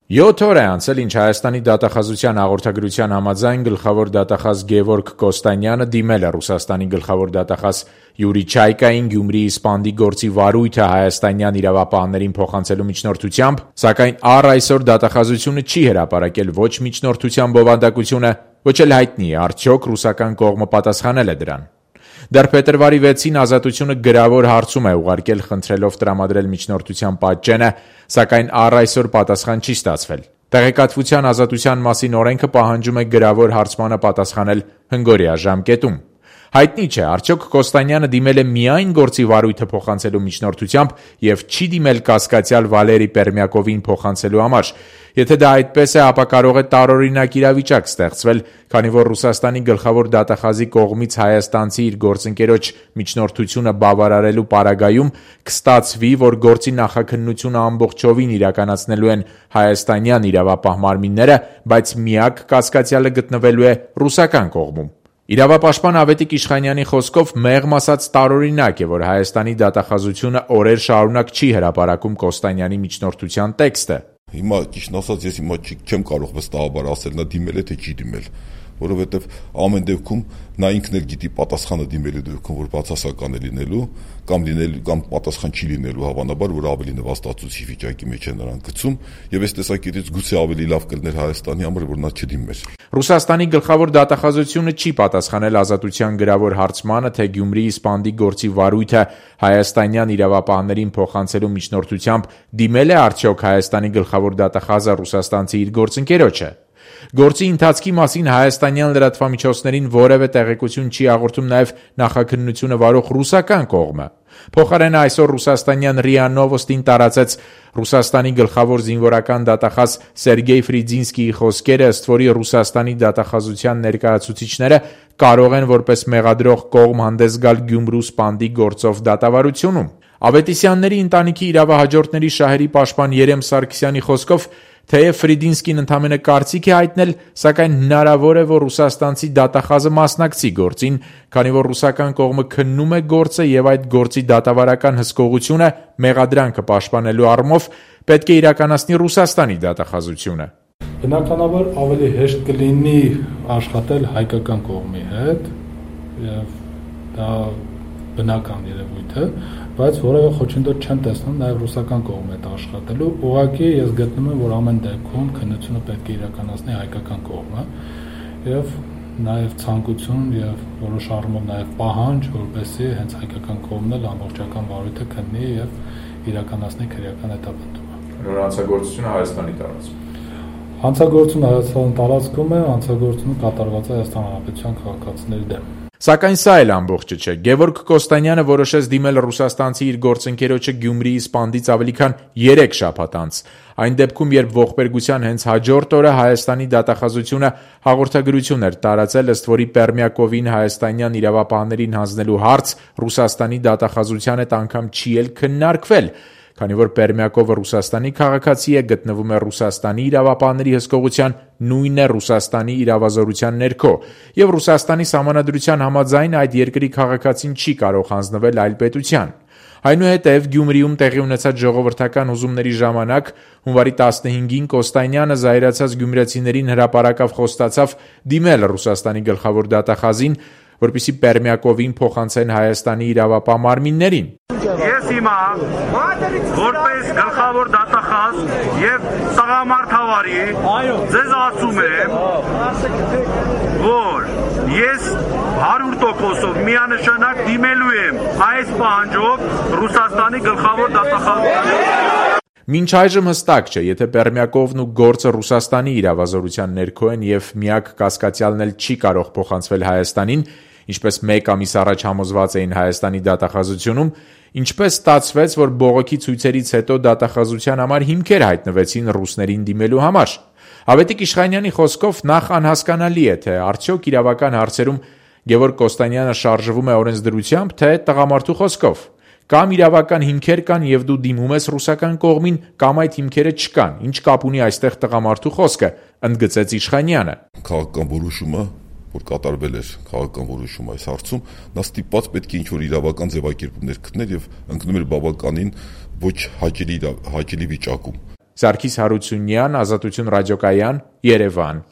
7 օր է անցել, ինչ Հայաստանի դատախազության հաղորդագրության համաձայն գլխավոր դատախազ Գևորգ Կոստանյանը դիմել է Ռուսաստանի գլխավոր դատախազ Յուրի Չայկային Գյումրիի սպանդի գործի վարույթը հայաստանյան իրավապահներին փոխանցելու միջնորդությամբ, սակայն առ այսօր դատախազությունը չի հրապարակել ոչ միջնորդության բովանդակությունը, ոչ էլ հայտնի է արդյոք ռուսական կողմը պատասխանել է դրան։ Դեռ փետրվարի 6-ին Ազատությունը գրավոր հարցում է ուղարկել խնդրելով տրամադրել միջնորդության պատճենը, սակայն առ այսօր պատասխան չի ստացվել։ Տեղեկատվության ազատության մասին օրենքը պահանջում է գրավոր հարցմանը պատասխանել հնգօրյա ժամկետում։ Հայտնի չէ, արդյոք Կոստանյանը դիմել է միայն գործի վարույթը փոխանցելու միջնորդությամբ եւ չի դիմել կասկածյալ Վալերի Պերմյակովին փոխանցելու համար։ Եթե դա այդպես է, ապա կարող է տարօրինակ իրավիճակ ստեղծվել, քանի որ Ռուսաստանի գլխավոր դատախազի կողմից հայաստանցի իր գործընկերոջ միջնորդությունը բավարարելու պարագայում կստացվի, որ գործի նախաքննությունը ամբողջովին իրականացնելու են հայաստանյան իրավապահ մարմինները, բայց միակ կասկածյալը գտնվելու է ռուսական կողմում։ Իրավապաշտպան Ավետիք Իշխանյանի խոսքով մեղմ ասած տարօրինակ է, որ Հայաստանի դատախազությունը օրեր շարունակ չի հրապարակում Կոստանյանի միջնորդության տեքստը։ Հիմա ճիշտ ասած ես հիմա չեմ կարող վստահաբար ասել նա դիմել է թե չի դիմել, որովհետև ամեն դեպքում նա ինքն էլ գիտի պատասխանը դիմելու դեպքում որ բացասական է լինելու կամ պատասխան չի լինելու հավանաբար, որ ավելի նվաստացուցիչ վիճակի մեջ է նրան գցում, եւ այս տեսակետից գուցե ավելի լավ կլիներ Հայաստանի համար, որ նա չդիմեր։ Ռուսաստանի գլխավոր դատախազությունը չի պատասխանել Ազատության գրավոր հարցմանը, թե Գյումրիի սպանդի գործի վարույթը հայաստանյան իրավապահներին փոխանցելու միջնորդությամբ դիմել է արդյոք Հայաստանի գլխավոր դատախազը ռուսաստանցի իր գործընկերոջը։ Գործի ընթացքի մասին հայաստանյան լրատվամիջոցներին որևէ տեղեկություն չի հաղորդում նաև նախաքննությունը վարող ռուսական կողմը։ Փոխարենը այսօր ռուսաստանյան ՌԻԱ Նովոստին տարածեց Ռուսաստանի գլխավոր զինվորական դատախազ Սերգեյ Ֆրիդզինսկիի խոսքերը, ըստ որի Ռուսաստանի դատախազության ներկայացուցիչները կարող են որպես մեղադրող կողմ հանդես գալ Գյումրու սպանդի գործով դատավարությունում։ Ավետիսյանների ընտանիքի իրավահաջորդների շահերի պաշտպան Երեմ Սարգսյանի խոսքով թեև Ֆրիդինսկին ընդամենը կարծիք է հայտնել, սակայն հնարավոր է, որ ռուսաստանցի դատախազը մասնակցի գործին, քանի որ ռուսական կողմը քննում է գործը եւ այդ գործի դատավարական հսկողությունը մեղադրանքը պաշտպանելու առումով պետք է իրականացնի Ռուսաստանի դատախազությունը։ Բնականաբար ավելի հեշտ կլինի աշխատել հայկական կողմի հետ եւ դա բնական երևույթ է, բայց որևէ խոչընդոտ չեմ տեսնում նաև ռուսական կողմի հետ աշխատելու։ Ուղղակի ես գտնում եմ, որ ամեն դեպքում քննությունը պետք է իրականացնի հայկական կողմը եւ նաև ցանկություն եւ որոշ առումով նաև պահանջ, որպեսզի հենց հայկական կողմն էլ ամբողջական վարույթը քննի եւ իրականացնի քրեական հետապնդումը։ Նոր հանցագործությունը Հայաստանի տարածքում։ Հանցագործությունը Հայաստանի տարածքում է, հանցագործությունը կատարված է Հայաստան Հանրապետության քաղաքացիների դեմ։ Սակայն սա էլ ամբողջը չէ։ Գևորգ Կոստանյանը որոշեց դիմել ռուսաստանցի իր գործընկերոջը Գյումրիի սպանդից ավելի քան 3 շաբաթ անց։ Այն դեպքում, երբ ողբերգության հենց հաջորդ օրը Հայաստանի դատախազությունը հաղորդագրություն էր տարածել, ըստ որի Պերմյակովին հայաստանյան իրավապահներին հանձնելու հարց Ռուսաստանի դատախազության հետ անգամ չի էլ քննարկվել, քանի որ Պերմյակովը Ռուսաստանի քաղաքացի է, գտնվում է Ռուսաստանի իրավապահների հսկողության, նույն է Ռուսաստանի իրավազորության ներքո, եւ Ռուսաստանի սահմանադրության համաձայն այդ երկրի քաղաքացին չի կարող հանձնվել այլ պետության։ Այնուհետև Գյումրիում տեղի ունեցած ժողովրդական հուզումների ժամանակ հունվարի 15-ին Կոստանյանը զայրացած գյումրեցիներին հրապարակավ խոստացավ դիմել Ռուսաստանի գլխավոր դատախազին, որպեսզի Պերմյակովին փոխանցեն Հայաստանի իրավապահ մարմիններին։ Ես հիմա որպես գլխավոր դատախազ եւ տղամարդ հավարի ձեզ ասում եմ, որ ես 100%-ով միանշանակ դիմելու եմ այս պահանջով Ռուսաստանի գլխավոր դատախազին։ Մինչ այժմ հստակ չէ, եթե Պերմյակովն ու գործը Ռուսաստանի իրավազորության ներքո են եւ միակ կասկածյալն էլ չի կարող փոխանցվել Հայաստանին, ինչպես մեկ ամիս առաջ համոզված էին Հայաստանի դատախազությունում, ինչպես ստացվեց, որ բողոքի ցույցերից հետո դատախազության համար հիմքեր հայտնվեցին ռուսներին դիմելու համար։ Ավետիք Իշխանյանի խոսքով նախ անհասկանալի է, թե արդյոք իրավական հարցերում Գևորգ Կոստանյանը շարժվում է օրենսդրությամբ, թե տղամարդու խոսքով։ Կամ իրավական հիմքեր կան եւ դու դիմում ես ռուսական կողմին, կամ այդ հիմքերը չկան։ Ինչ կապ ունի այստեղ տղամարդու խոսքը, ընդգծեց Իշխանյանը։ Քաղաքական որոշումը, որ կատարվել էր քաղաքական որոշում այս հարցում, նա ստիպված պետք է ինչ-որ իրավական ձևակերպումներ գտներ եւ ընկնում էր բավականին ոչ հաճելի վիճակում։ Սարգիս Հարությունյան, Ազատություն ռադիոկայան, Երևան։